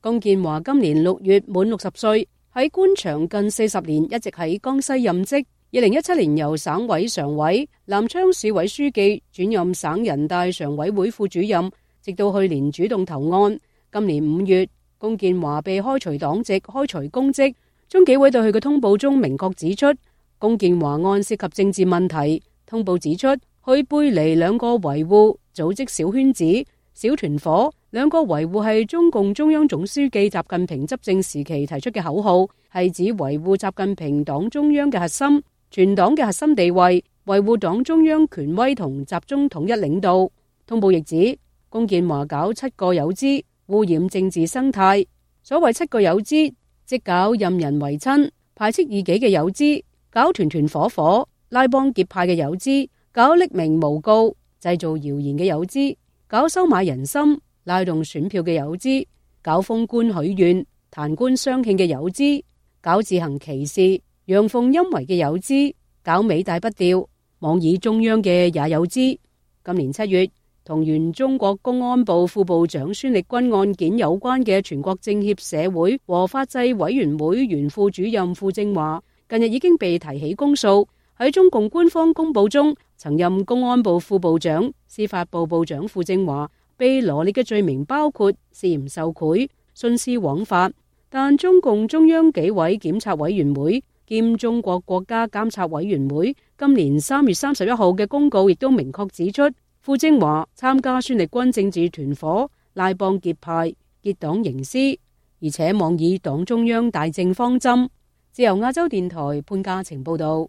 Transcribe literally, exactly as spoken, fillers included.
龔建華今年六月滿六十歲，喺官場近四十年，一直喺江西任職。二零一七年由省委常委、南昌市委書記轉任省人大常委會副主任，直到去年主動投案。今年五月，龔建華被開除黨籍、開除公職。中紀委對佢嘅通報中明確指出，龔建華案涉及政治問題。通報指出，佢背離兩個維護，組織小圈子、小團伙。兩個維護係中共中央總書記習近平執政時期提出嘅口號，係指維護習近平黨中央嘅核心、全黨嘅核心地位，維護黨中央權威同集中統一領導。通報亦指，龔建華搞七個有之，污染政治生態。所謂七個有之，即搞任人唯親、排斥異己嘅有之，搞團團伙伙、拉幫結派嘅有之，搞匿名誣告、製造謠言嘅有之，搞收買人心、拉動選票嘅有之，搞封官許願、彈官相慶嘅有之，搞自行其事、陽奉陰違嘅有之，搞尾大不掉、妄議中央嘅也有之。今年七月，同原中國公安部副部長孫力軍案件有關嘅全國政協社會和法制委員會原副主任傅政華，近日已經被提起公訴。喺中共官方公佈中，曾任公安部副部長、司法部部長傅政華被羅列嘅罪名包括涉嫌受賄、徇私枉法，但中共中央紀委檢察委員會兼中國國家監察委員會今年三月三十一號嘅公告亦都明確指出，傅政華參加孫力軍政治團伙、拉幫結派、結黨營私，而且妄議黨中央大政方針。自由亞洲電台潘家晴報道。